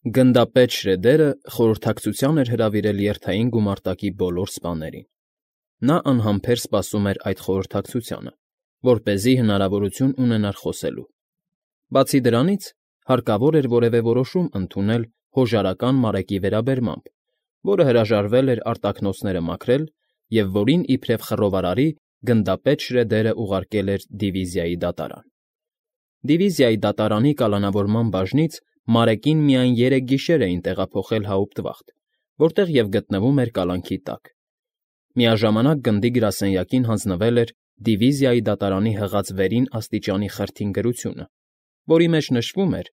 Գնդապետ Շրեդերը խորհրդակցության էր հրավիրել երթային գումարտակի բոլոր սպաներին. նա անհամբեր սպասում էր այդ խորհրդակցությանը, որպեսզի հնարավորություն ունենար խոսելու. բացի դրանից, հարկավոր էր որևէ որոշում ընդունել հոժարական մարեկի վերաբերմամբ, որը հրաժարվել էր արտաքնոցները մաքրել և որին իբրև խռովարարի գնդապետ Շրեդերը ուղարկել էր դիվիզիայի դատարան։ Դիվիզիայի դատարանի կալանավորման բաժնից Մարեկին միայն 3 գիշեր էին տեղափոխել Հաուպտվախտ, որտեղ և գտնվում էր կալանքի տակ։ Միաժամանակ գնդի գրասենյակին հանձնվել էր դիվիզիայի դատարանի հղած վերին աստիճանի խրթին գրությունը, որի մեջ նշվում էր,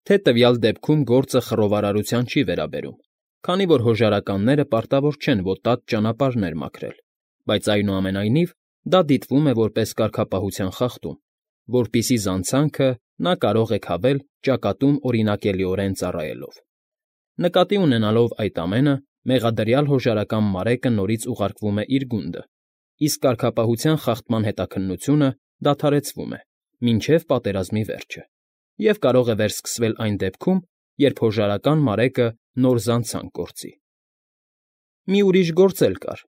թե տվյալ դեպքում գործը խռովարարության չի վերաբերում, քանի որ հոժարականները պարտավոր չեն ոտած ճանապարհներ մաքրել, բայց այնուամենայնիվ դա դիտվում է որպես կարգապահության խախտում, որպիսի զանցանքը նա կարող է քաղել ճակատում օրինակելիորեն ծառայելով։ Նկատի ունենալով այդ ամենը, մեղադրյալ հոժարական Մարեկը նորից ուղարկվում է իր գունդը, իսկ կարգապահության խախտման հետաքննությունը դադարեցվում է, մինչև պատերազմի վերջը, և կարող է վերսկսվել այն դեպքում, երբ հոժարական Մարեկը նոր զանցանք գործի։ Մի ուրիշ գործ էլ կար.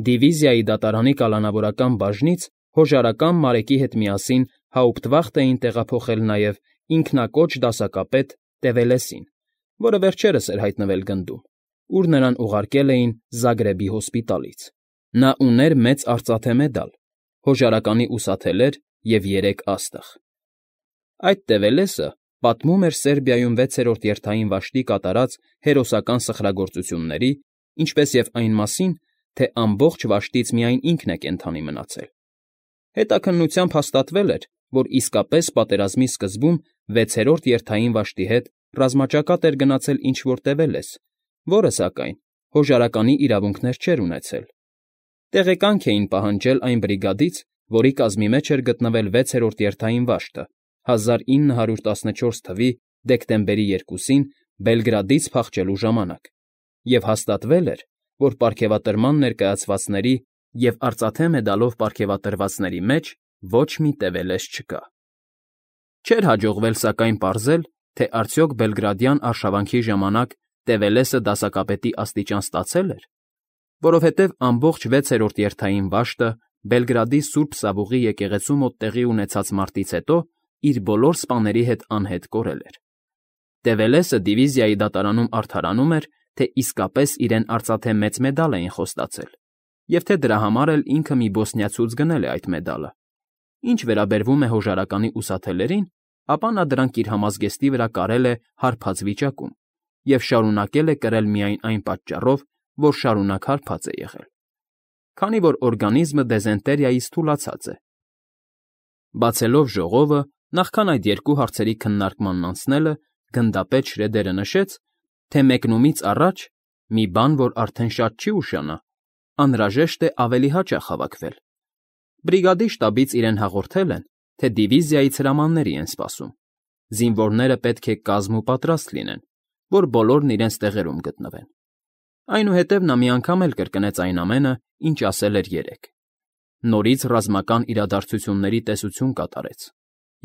դիվիզիայի դատարանի կալանավորական բաժնից հոժարական Մարեկի հետ միասին Հաուպտվախտ էին տեղափոխել նաև ինքնակոչ դասակապետ Տևելեսին, որը վերջերս էր հայտնվել գնդում, ուր նրան ուղարկել էին Զագրեբի հոսպիտալից։ Նա ուներ մեծ արծաթե մեդալ, հոժարականի ուսաթելեր և 3 աստղ։ Այդ Տևելեսը պատմում էր Սերբիայում 6-րդ երթային վաշտի կատարած հերոսական սխրագործությունների, ինչպես և այն մասին, թե ամբողջ վաշտից միայն ինքն է կենդանի մնացել։ Հետաքննությամբ հաստատվել էր, որ իսկապես պատերազմի սկզբում 6-րդ երթային վաշտի հետ ռազմաճակատ էր գնացել ինչ֊որ Տևելես, որը, սակայն, հոժարականի իրավունքներ չէր ունեցել։ Տեղեկանք էին պահանջել այն բրիգադից, որի կազմի մեջ էր գտնվել 6-րդ երթային վաշտը 1914 թվականի դեկտեմբերի 2-ին Բելգրադից փախչելու ժամանակ, և հաստատվել էր, որ պարգևատրման ներկայացվածների և արծաթե մեդալով պարգևատրվածների մեջ ոչ մի Տևելես չկա։ Չէր հաջողվել, սակայն, պարզել, թե արդյոք բելգրադյան արշավանքի ժամանակ Տևելեսը դասակապետի աստիճան ստացե՞լ էր, որովհետև ամբողջ 6-րդ երթային վաշտը Բելգրադի Սուրբ Սավուղի եկեղեցու մոտ տեղի ունեցած մարտից հետո իր բոլոր սպաների հետ անհետ կորել էր։ Տևելեսը դիվիզիայի դատարանում արդարանում էր, թե իսկապես իրեն արծաթե մեծ մեդալ էին խոստացել, և թե դրա համար էլ ինքը մի բոսնիացուց գնել է այդ մեդալը։ Ինչ վերաբերվում է հոժարականի ուսաթելերին, ապա նա դրանք իր համազգեստի վրա կարել է հարբած վիճակում և շարունակել է կրել միայն այն պատճառով, որ շարունակ հարբած է եղել, քանի որ օրգանիզմը դեզենտերիայից թուլացած է։ Բացելով ժողովը, նախքան այդ երկու հարցերի քննարկմանն անցնելը, գնդապետ Շրեդերը նշեց, թե մեկնումից առաջ (մի բան, որ արդեն շատ չի ուշանա) անհրաժեշտ է ավելի հաճախ հավաքվել։ Բրիգադի շտաբից իրեն հաղորդել են, թե դիվիզիայից հրամանների են սպասում։ Զինվորները պետք է կազմ ու պատրաստ լինեն, որ բոլորն իրենց տեղերում գտնվեն։ Այնուհետև նա մի անգամ էլ կրկնեց այն ամենը, ինչ ասել էր երեկ։ Նորից ռազմական իրադարձությունների տեսություն կատարեց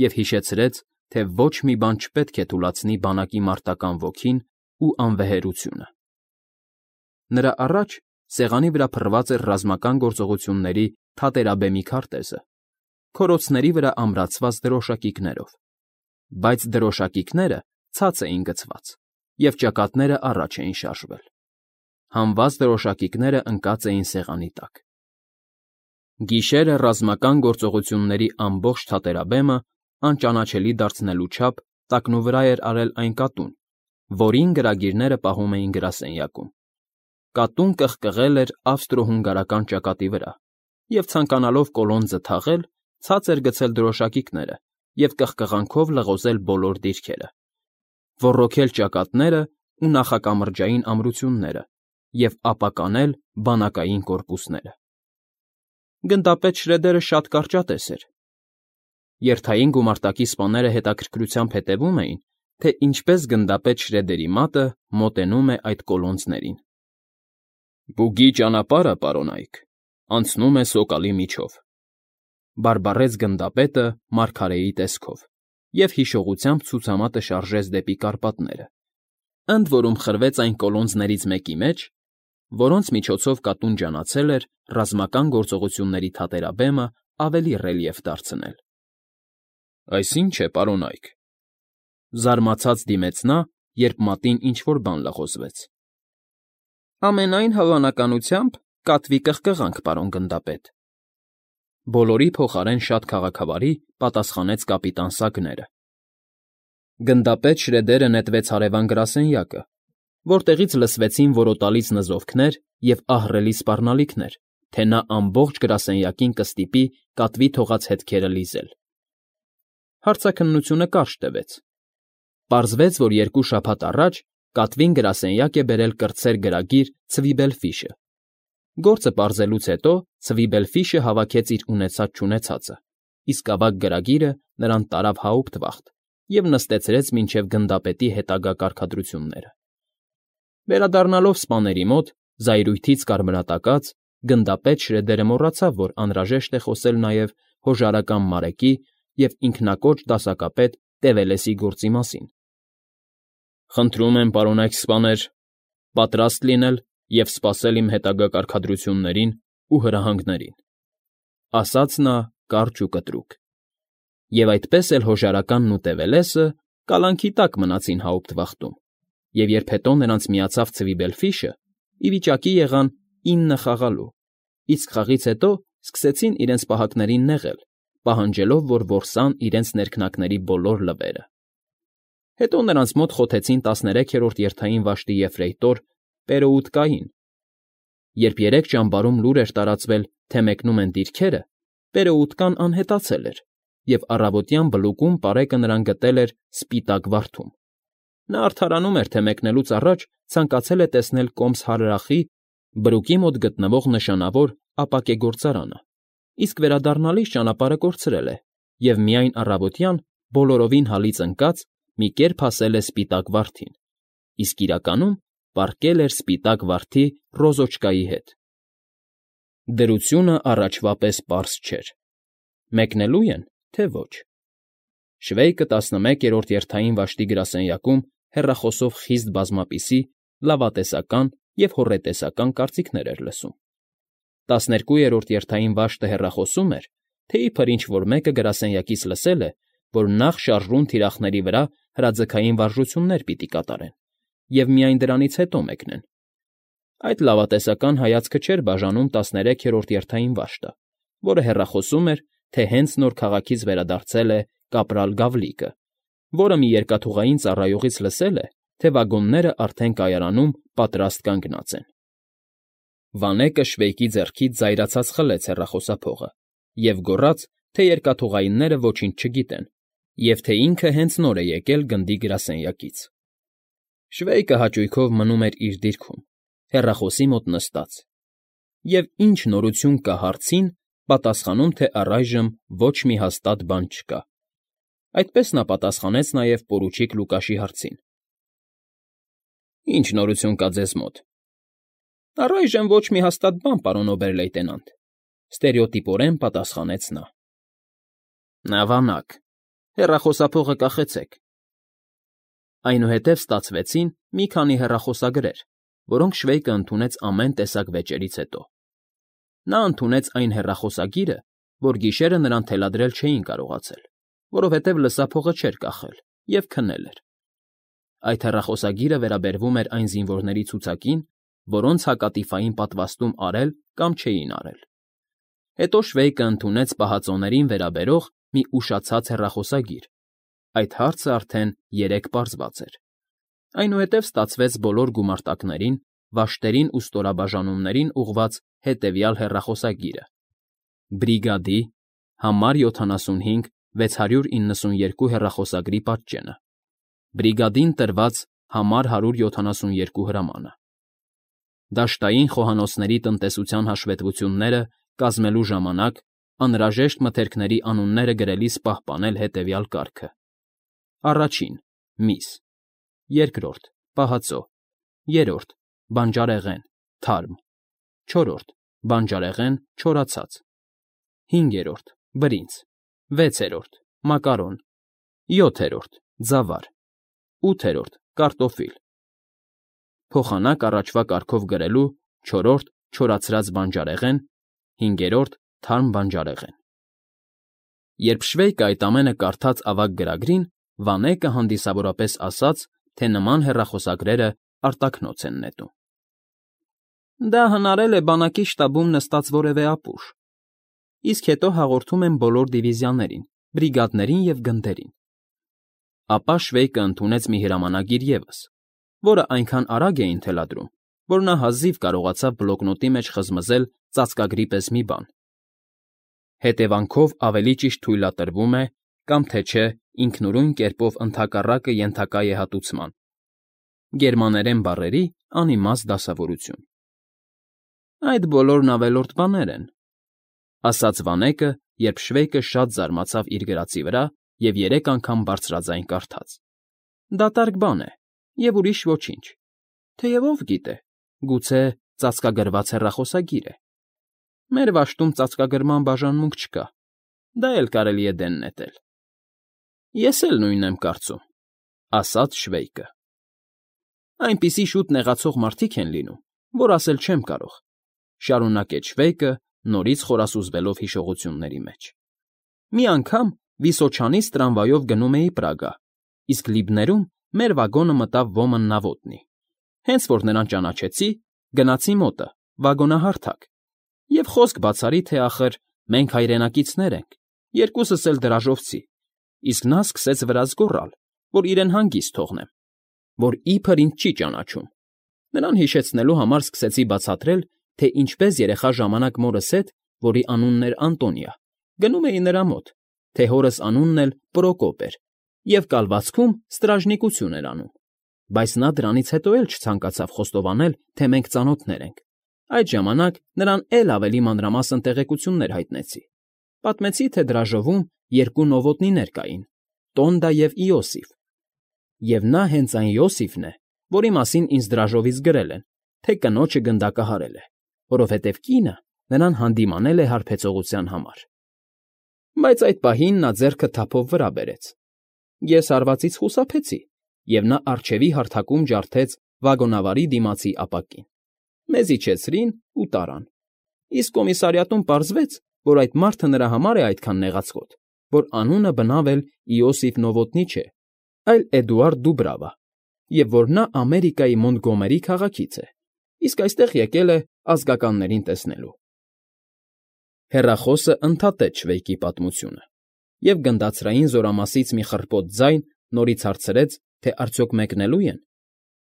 և հիշեցրեց, թե ոչ մի բան չպետք է թուլացնի բանակի մարտական ոգին ու անվեհերությունը։ Նրա առաջ սեղանի վրա փռված էր ռազմական գործողությունների թատերաբեմի քարտեզը, քորոցների վրա ամրացված դրոշակիկներով, բայց դրոշակիկները ցած էին գցված, և ճակատները առաջ էին շարժվել։ Հանված դրոշակիկները ընկած էին սեղանի տակ։ Գիշերը ռազմական գործողությունների ամբողջ թատերաբեմը անճանաչելի դարձնելու չափ տակնուվրա էր արել այն կատուն, որին գրագիրները պահում էին գրասենյակում։ Կատուն կղկղել էր ավստրո֊հունգարական ճակատի վրա և, ցանկանալով կոլոնձը թաղել, ցած էր գցել դրոշակիկները և կղկղանքով լղոզել բոլոր դիրքերը, ոռոգել ճակատներն ու նախակամրջային ամրությունները և ապականել բանակային կորպուսները։ Գնդապետ Շրեդերը շատ կարճատես էր։ Երթային գումարտակի սպաները հետաքրքրությամբ հետևում էին, թե ինչպես գնդապետ Շրեդերի մատը մոտենում է այդ կոլոնձներին։ «Բուգի ճանապարհը, պարոնայք, անցնում է սոկալի միջով», բարբառեց գնդապետը մարգարեի տեսքով և հիշողությամբ ցուցամատը շարժեց դեպի Կարպատները, ընդ որում խրվեց այն կոլոնզներից մեկի մեջ, որոնց միջոցով կատուն ջանացել էր ռազմական գործողությունների թատերաբեմը ավելի ռելիեֆ դարձնել։ ֊ Այս ի՞նչ է, պարոնայք,֊ զարմացած դիմեց նա, երբ մատին ինչ֊որ բան լղոզվեց։ ֊ Ամենայն հավանականությամբ կատվի կղկղանք, պարոն գնդապետ,֊ բոլորի փոխարեն շատ քաղաքավարի պատասխանեց կապիտան Սագները։ Գնդապետ Շրեդերը նետվեց հարևան գրասենյակը, որտեղից լսվեցին որոտալից նզովքներ և ահռելի սպառնալիքներ, թե նա ամբողջ գրասենյակին կստիպի կատվի թողած հետքերը լիզել։ Հարցաքննությունը կարճ տևեց։ Պարզվեց, որ 2 շաբաթ առաջ կատվին գրասենյակ է բերել կրտսեր գրագիր Ցվիբելֆիշը։ Գործը պարզելուց հետո Ցվիբելֆիշը հավաքեց իր ունեցած֊չունեցածը, իսկ ավագ գրագիրը նրան տարավ հաուպտվախտ և նստեցրեց մինչև գնդապետի հետագա կարգադրությունները։ Վերադառնալով սպաների մոտ, զայրույթից կարմրատակած, գնդապետ Շրեդերը մոռացավ, որ անհրաժեշտ է խոսել նաև հոժարական Մարեկի և ինքնակոչ դասակապետ Տևելեսի գործի մասին։ «Խնդրում եմ, պարոնայք սպաներ, պատրաստ լինել և սպասել իմ հետագա կարգադրություններին ու հրահանգներին,֊ ասաց նա կարճ ու կտրուկ։ Եվ այդպես էլ հոժարականն ու Տևելեսը կալանքի տակ մնացին հաուպտվախտում, և երբ հետո նրանց միացավ Ցվիբելֆիշը, ի վիճակի եղան 9 խաղալու, իսկ խաղից հետո սկսեցին իրենց պահակներին նեղել, պահանջելով, որ որսան իրենց ներքնակների բոլոր լվերը։ Հետո նրանց մոտ խոթեցին 13-րդ երթային վաշտի եֆրեյտոր Պերոուտկային։ Երբ 3 ճամբարում լուր էր տարածվել, թե մեկնում են դիրքերը, Պերոուտկան անհետացել էր, և առավոտյան բլուկում պարեկը նրան գտել էր սպիտակ վարդում։ Նա արդարանում էր, թե մեկնելուց առաջ ցանկացել է տեսնել Կոմս հարրախի բրուկի մոտ գտնվող նշանավոր ապակե գործարանը, իսկ վերադառնալիս ճանապարհը կորցրել է և միայն առավոտյան բոլորովին հալից ընկած մի կերպ հասել է սպիտակ վարդին, իսկ իրականում պառկել էր սպիտակ վարդի Ռոզոչկայի հետ։ Դրությունը առաջվա պես պարզ չէր. մեկնելու են, թե ոչ։ Շվեյկը 11-րդ երթային վաշտի գրասենյակում հեռախոսով խիստ բազմապիսի, լավատեսական և հոռետեսական կարծիքներ էր լսում։ 12-րդ երթային վաշտը հեռախոսում էր, թե իբր ինչ֊որ մեկը գրասենյակից լսել է, որ նախ շարժուն թիրախների վրա հրաձգային վարժություններ պիտի կատարեն և միայն դրանից հետո մեկնեն։ Այդ լավատեսական հայացքը չէր բաժանում 13-րդ երթային վաշտը, որը հեռախոսում էր, թե հենց նոր քաղաքից վերադարձել է կապրալ Գավլիկը, որը մի երկաթուղային ծառայողից լսել է, թե վագոնները արդեն կայարանում պատրաստ կանգնած են։ Վանեկը Շվեյկի ձեռքից զայրացած խլեց հեռախոսափողը և գոռաց, թե երկաթուղայինները ոչինչ չգիտեն և թե ինքը հենց նոր է եկել գնդի գրասենյակից։ Շվեյկը հաճույքով մնում էր իր դիրքում, հեռախոսի մոտ նստած, և ինչ նորություն կա հարցին, պատասխանում, թե առայժմ ոչ մի հաստատ բան չկա։ Այդպես նա պատասխանեց նաև պորուչիկ Լուկաշի հարցին։ «Ինչ նորություն կա ձեզ մոտ»։ «Առայժմ ոչ մի հաստատ բան, պարոն օբեր֊լեյտենանտ,֊ ստերեոտիպորեն պատասխանեց նա։ ֊ Ավանակ, հեռախոսափողը կախեցեք»։ Այնուհետև ստացվեցին մի քանի հեռախոսագրեր, որոնք Շվեյկը ընդունեց ամեն տեսակ վեճերից հետո։ Նա ընդունեց այն հեռախոսագիրը, որ գիշերը նրան թելադրել չէին կարողացել, որովհետև լսափողը չէր կախել և քնել էր։ Այդ հեռախոսագիրը վերաբերվում էր այն զինվորների ցուցակին, որոնց հակատիֆային պատվաստում արել կամ չէին արել։ Հետո Շվեյկը ընդունեց պահածոներին վերաբերող մի ուշացած հեռախոսագիր։ Այդ հարցը արդեն 3 պարզված էր։ Այնուհետև ստացվեց բոլոր գումարտակներին, վաշտերին ու ստորաբաժանումներին ուղղված հետևյալ հեռախոսագիրը. Բրիգադի համար 75 692 հեռախոսագրի պատճենը, բրիգադին տրված համար 172 հրամանը, դաշտային խոհանոցների տնտեսության հաշվետվությունները կազմելու ժամանակ անհրաժեշտ մթերքների անունները գրելիս պահպանել հետևյալ կարգը. Առաջին՝ միս, երկրորդ՝ պահածո, երրորդ՝ բանջարեղեն, թարմ, չորրորդ՝ բանջարեղեն, չորացած, հինգերորդ՝ բրինձ, վեցերորդ՝ մակարոն, յոթերորդ՝ ձավար, ութերորդ՝ կարտոֆիլ, փոխանակ առաջվա կարգով գրելու 4-րդ չորացրած բանջարեղեն, 5-րդ թարմ բանջարեղեն։ Երբ Շվեյկը այդ ամենը կարդաց ավագ գրագրին, Վանեկը հանդիսավորապես ասաց, թե նման հեռախոսագրերը արտաքնոց են նետում։ Դա հնարել է բանակի շտաբում նստած որևէ ապուշ, իսկ հետո հաղորդում են բոլոր դիվիզիաներին, բրիգադներին և գնդերին։ Ապա Շվեյկը ընդունեց մի հրամանագիր ևս, որը այնքան արագ էին թելադրում, որ նա հազիվ կարողացավ բլոկնոտի մեջ խզմզել ծածկագրի պես մի բան։ Հետևանքով ավելի ճիշտ թույլատրվում է, կամ թե չէ ինքնուրույն կերպով ընդհակառակը ենթակա է հատուցման։ Գերմաներեն բառերի անիմաստ դասավորություն։ Այդ բոլորն ավելորդ բաներ են, ասաց Վանեկը, երբ Շվեյկը շատ զարմացավ իր գրածի վրա և 3 անգամ բարձրաձայն կարդաց։ Դատարկ բան է, և ուրիշ ոչինչ, թեև ով գիտե, գուցե ծածկագրված հեռախոսագիր է։ Մեր վաշտում ծածկագրման բաժանմունք չկա, դա էլ կարելի է դեն նետել։ Ես էլ նույնն եմ կարծում, ասաց Շվեյկը։ Այնպիսի շուտ նեղացող մարդիկ են լինում, որ ասել չեմ կարող, շարունակեց Շվեյկը, նորից խորասուզվելով հիշողությունների մեջ։ Մի անգամ Վիսոչանից տրամվայով գնում էի Պրագա, իսկ Լիբներում մեր վագոնը մտավ Ոմն Նավոտնի։ Հենց որ նրան ճանաչեցի, գնացի մոտը, վագոնահարթակ, և խոսք բացարի, թե ախր մենք հայրենակիցներ ենք, երկուսս էլ դրաժովցի, իսկ նա սկսեց վրաս գոռալ, որ իրեն հանգիստ թողնեմ, որ իբր ինձ չի ճանաչում։ Նրան հիշեցնելու համար սկսեցի բացատրել, թե ինչպես երեխա ժամանակ մորս հետ, որի անունն էր Անտոնիա, գնում էի նրա մոտ, թե հորս անունն էլ Պրոկոպ էր, և կալվածքում ստրաժնիկություն էր անում, բայց նա դրանից հետո էլ չցանկացավ խոստովանել, թե մենք ծանոթներ ենք։ Այդ ժամանակ նրան էլ ավելի մանրամասն տեղեկություններ հայտնեցի։ Պատմեցի, թե դրաժովում 2 նովոտնիներ կային՝ Տոնդա և Իոսիֆ, և նա հենց այն Իոսիֆն է, որի մասին ինձ դրաժովից գրել են, թե կնոջը գնդակահարել է, որովհետև կինը նրան հանդիմանել է հարբեցողության համար։ Բայց այդ պահին նա ձեռքը թափով վրա բերեց։ Ես հարվածից խուսափեցի, և նա առջևի հարթակում ջարդեց վագոնավարի դիմացի ապակին։ Մեզ իջեցրին ու տարան։ Իսկ կոմիսարիատում պարզվեց, որ այդ մարդը նրա համար է այդքան նեղացկոտ, որ անունը բնավ էլ Իոսիֆ Նովոտնի չէ, այլ Էդուարդ Դուբրավա, և որ նա Ամերիկայի Մոնտգոմերի քաղաքից է, իսկ այստեղ եկել է ազգականներին տեսնելու։ Հեռախոսը ընդհատեց Շվեյկի պատմությունը, և գնդացրային զորամասից մի խռպոտ ձայն նորից հարցրեց, թե արդյոք մեկնելու են,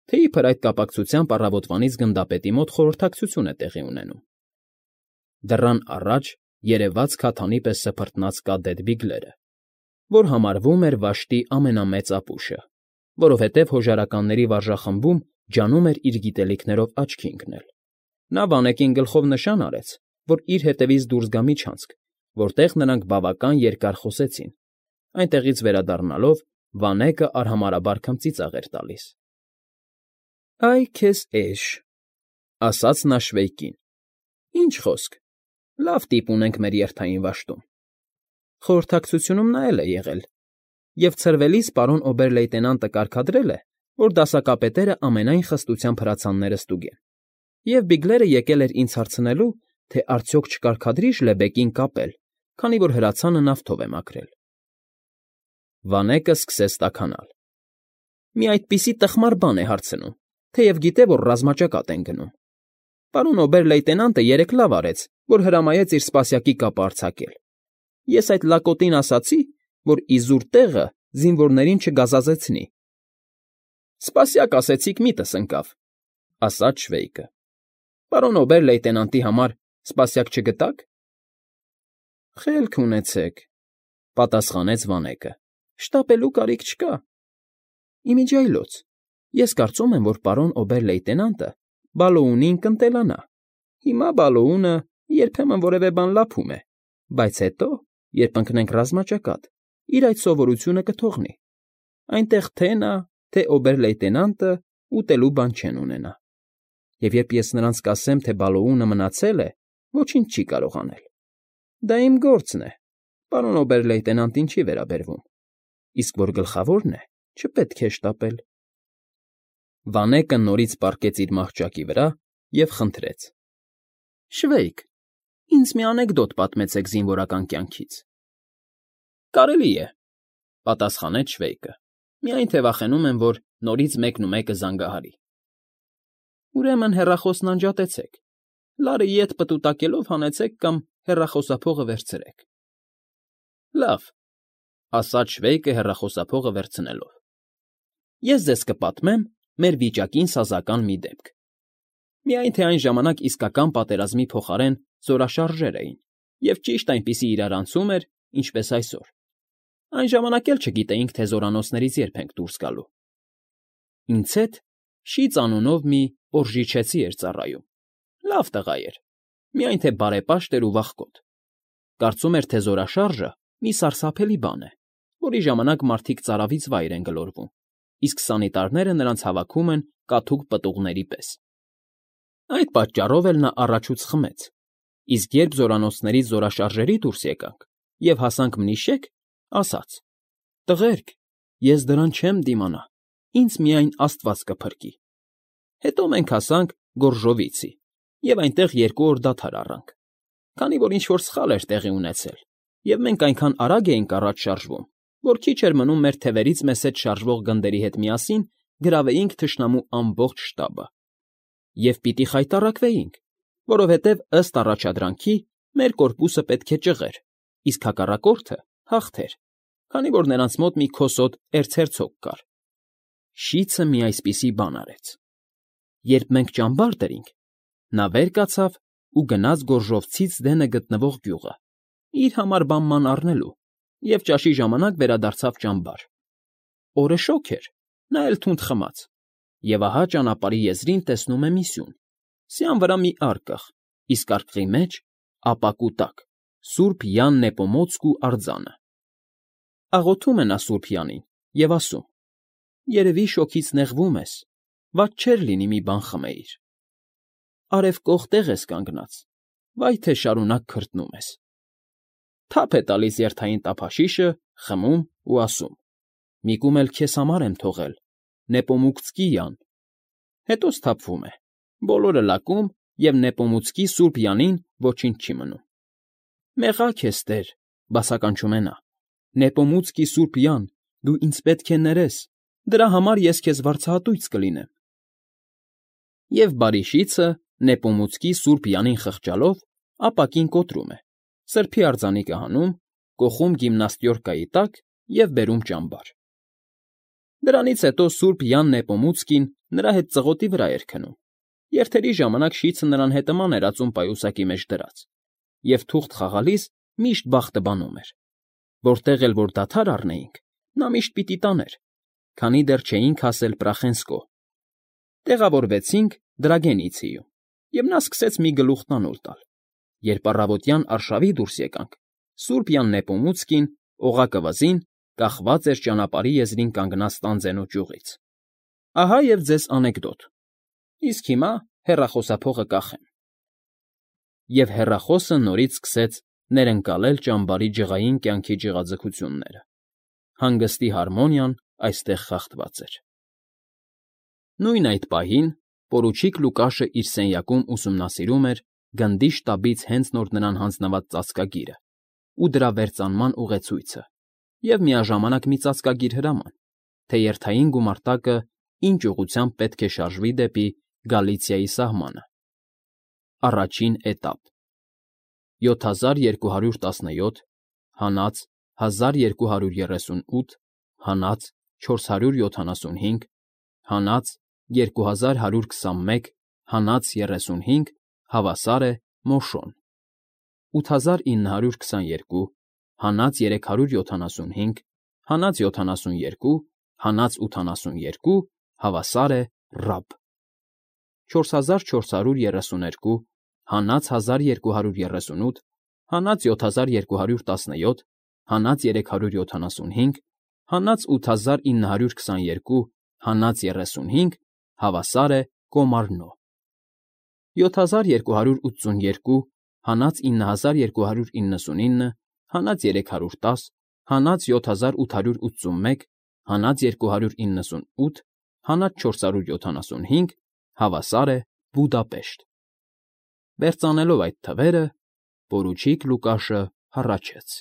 թե իբր այդ կապակցությամբ առավոտվանից գնդապետի մոտ խորհրդակցություն է տեղի ունենում։ Դռան առաջ երևաց քաթանի պես սփռտնած կադետ Բիգլերը, որ համարվում էր վաշտի ամենամեծ ապուշը, որովհետև հոժարականների վարժախմբում ջանում էր իր գիտելիքներով աչքի ընկնել։ Նա Վանեկին գլխով նշան արեց, որ իր հետևից դուրս գա միջանցք, որտեղ նրանք բավական երկար խոսեցին։ Այնտեղից վերադառնալով Վանեկը արհամարհաբար քմծիծաղ էր տալիս։ Այ քեզ էշ, ասաց նա Շվեյկին։ Ինչ խոսք, լավ տիպ ունենք մեր երթային վաշտում։ Խորհրդակցությունում նա էլ է եղել, և ցրվելիս պարոն օբեր֊լեյտենանտը կարգադրել է, որ դասակապետերը ամենայն խստությամբ հրացանները ստուգեն։ Եվ Բիգլերը եկել էր ինձ հարցնելու, թե արդյոք չկարգադրի Ժլեբեկին կապել, քանի որ հրացանը նավթով է մաքրել։ Վանեկը սկսեց տաքանալ։ Մի այդպիսի տխմար բան է հարցնում, թեև գիտե, որ ռազմաճակատ են գնում։ Պարոն օբեր֊լեյտենանտը երեկ լավ արեց, որ հրամայեց իր սպասյակի կապը արձակել։ Ես այդ լակոտին ասացի, որ իզուր տեղը զինվորներին չգազազեցնի։ Սպասյակ ասեցիք, միտս ընկավ, ասաց Շվեյկը։ Պարոն օբեր֊լեյտենանտի համար սպասյակ չգտաք։ Խելք ունեցեք, պատասխանեց Վանեկը։ Շտապելու կարիք չկա։ Իմիջիայլոց, ես կարծում եմ, որ պարոն օբեր֊լեյտենանտը Բալոունին կընտելանա։ Հիմա Բալոունը երբեմն որևէ բան լափում է, բայց հետո, երբ ընկնենք ռազմաճակատ, իր այդ սովորությունը կթողնի։ Այնտեղ թե նա, թե օբեր֊լեյտենանտը ուտելու բան չեն ունենա։ Եվ երբ ես նրանց կասեմ, թե Բալոունը մնացել է, ոչինչ չի կարող անել։ Դա իմ գործն է, պարոն օբեր֊լեյտենանտին չի վերաբերվում, իսկ որ գլխավորն է, չպետք է շտապել։ Վանեկը նորից պառկեց իր մահճակի վրա և խնդրեց. ֊ Շվեյք, ինձ մի անեկդոտ պատմեցեք զինվորական կյանքից։ ֊ Կարելի է,֊ պատասխանեց Շվեյկը։֊ Միայն թե վախենում եմ, որ նորից մեկնումեկը զանգահարի։ ֊ Ուրեմն հեռախոսն անջատեցեք, լարը ետ պտուտակելով հանեցեք կամ հեռախոսափողը վերցրեք։ ֊ Լավ,֊ ասաց Շվեյկը հեռախոսափողը վերցնելով։֊ Ես ձեզ կպատմեմ մեր վիճակին սազական մի դեպք։ Միայն թե այն ժամանակ իսկական պատերազմի փոխարեն զորաշարժեր էին, և ճիշտ այնպիսի իրարանցում էր, ինչպես այսօր։ Այն ժամանակ էլ չգիտեինք, թե զորանոցներից երբ ենք դուրս գալու։ Ինձ հետ Շիծ անունով մի օրժիչեցի էր ծառայում։ Լավ տղա էր, միայն թե բարեպաշտ էր ու վախկոտ։ Կարծում էր, թե զորաշարժը մի սարսափելի բան է, որի ժամանակ մարդիկ ծարավից վայր են գլորվում, իսկ սանիտարները նրանց հավաքում են կաթուկ պտուղների պես։ Այդ պատճառով էլ նա առաջուց խմեց, իսկ երբ զորանոցներից զորաշարժերի դուրս եկանք և հասանք Մնիշեկ, ասաց. «Տղերք, ես դրան չեմ դիմանա, ինձ միայն Աստված կփրկի»։ Հետո մենք հասանք Գորժովիցի և այնտեղ 2 օր դադար առանք, քանի որ ինչ֊որ սխալ էր տեղի ունեցել, և մենք այնքան արագ էինք առաջ շարժվում, որ քիչ էր մնում մեր թևերից մեզ հետ շարժվող գնդերի հետ միասին գրավեինք թշնամու ամբողջ շտաբը։ Եվ պիտի խայտառակվեինք, որովհետև, ըստ առաջադրանքի, մեր կորպուսը պետք է ճղեր, իսկ հակառակորդը հաղթեր, քանի որ նրանց մոտ մի քոսոտ էրցհերցոգ կար։ Շիծը մի այսպիսի բան արեց. երբ մենք ճամբար դրինք, նա վեր կացավ ու գնաց Գորժովցից դենը գտնվող գյուղը, իր համար բան առնելու, և ճաշի ժամանակ վերադարձավ ճամբար։ Օրը շոգ էր, նա էլ թունդ խմած, և ահա ճանապարհի եզրին տեսնում է մի սյուն, սյան վրա մի արկղ, իսկ արկղի մեջ, ապակու տակ, Սուրբ Յան Նեպոմոցկու արձանը։ Աղոթում է նա Սուրբ Յանին և ասում. «Երևի շոգից նեղվում ես, վատ չէր լինի մի բան խմեիր։ Արև կող տեղ ես կանգնած, վայ թե շարունակ քրտնում ես»։ Թափ է տալիս երթային տափաշիշը, խմում ու ասում. «Մի կում էլ քեզ համար եմ թողել, Նեպոմուկցկի Յան»։ Հետո սթափվում է, բոլորը լակում, և Նեպոմուցկի Սուրբ Յանին ոչինչ չի մնում։ «Մեղա քեզ, Տեր», բացականչում է նա, «Նեպոմուցկի Սուրբ Յան, դու ինձ պետք է ներես, դրա համար ես քեզ վարձահատույց կլինեմ»։ Եվ բարի շիծը Նեպոմուցկի Սուրբ Յանին խղճալով ապակին կոտրում է, սրբի արձանիկը հանում, կոխում գիմնաստյորկայի տակ և բերում ճամբար։ Դրանից հետո Սուրբ Յան Նեպոմուցկին նրա հետ ծղոտի վրա էր քնում, երթերի ժամանակ շիծը նրան հետման էր ածում պայուսակի մեջ դրած, և թուղթ խաղալիս միշտ բախտը բանում էր։ Որտեղ էլ որ դադար առնեինք, նա միշտ պիտի տաներ, քանի դեռ չէինք հասել Պրախենսկո։ Տեղավորվեցինք Դրագենիցիում, և նա սկսեց մի գլուխ տանուլ տալ։ Երբ առավոտյան արշավի դուրս եկանք, Սուրբ Յան Նեպոմուցկին, օղակը վզին, կախված էր ճանապարհի եզրին կանգնած տանձենու ճյուղից։ Ահա և ձեզ անեկդոտ։ Իսկ հիմա հեռախոսափողը կախեմ։ Եվ հեռախոսը նորից սկսեց ներընկալել ճամբարի ջղային կյանքի ջղաձգությունները։ Հանգստի հարմոնիան այստեղ խախտված էր։ Նույն այդ պահին պորուչիկ Լուկաշը իր սենյակում ուսումնասիրում էր գնդի շտաբից հենց նոր նրան հանձնված ծածկագիրը ու դրա վերծանման ուղեցույցը և միաժամանակ մի ծածկագիր հրաման, թե երթային գումարտակը ինչ ուղղությամբ պետք է շարժվի դեպի Գալիցիայի սահմանը։ Առաջին էտապ։ 7217 հանած 1238 հանած 475 հանած 2121 հանած 35 հավասար է Մոշոն 8922 հանած 375 հանած 72 հանած 82 հավասար է Ռաբ 4432 հանած 1238 հանած 7217 հանած 375 հանած 8922 հանած 35 հավասար է Կոմարնո 7282 հանած 9299 հանած 310 հանած 7881 հանած 298 Հանած 475, հավասար է Բուդապեշտ։ Բերծանելով այդ թվերը՝ պորուչիկ Լուկաշը հառաչեց.